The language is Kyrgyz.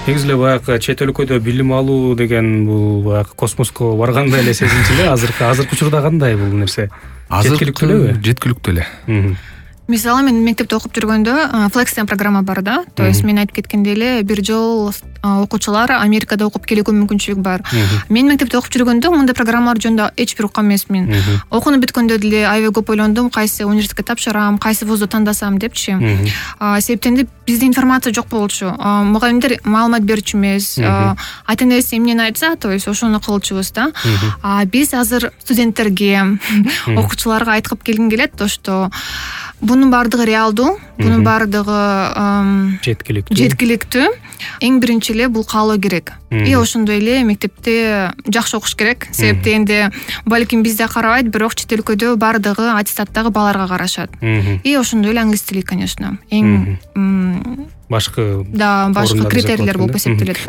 Негизи эле баягы чет өлкөдө билим алуу деген бул баягы космоско баргандай эле сезинчү эле. Азыркы учурда кандай бул нерсе? Жеткиликтүү элеби? Жеткиликтүү эле. Мисалы мен мектепте окуп жүргөндө Flex деген программа бар да. То есть мен айтып кеткендей эле бир жол окуучулар Америкада окуп келүүгө мүмкүнчүлүк бар. Мен мектепте окуп жүргөндө мындай программалар жөнүндө эч бир уккан эмесмин. Окууну бүткөндө деле аябай көп ойлондум, кайсы университетке тапшырам, кайсы вузду тандасам депчи. Себептен бизде информация жок болчу. Мугалимдер маалымат берчү эмес. Ата энеси эмнени айтса, то есть ошону кылчубуз да. Биз азыр студенттерге, окуучуларга айткып келгим келет, то что бунун баардыгы реалдуу, бунун баардыгы жеткиликтүү. Эң биринчи эле бул каалоо керек. И ошондой эле мектепте жакшы окуш керек. Себептен балким бизде карабайт, бирок чет өлкөдө баардыгы аттестаттагы балларга карашат. И ошондой эле англис тили, конечно. Эң башкы критерийлер болуп эсептелет.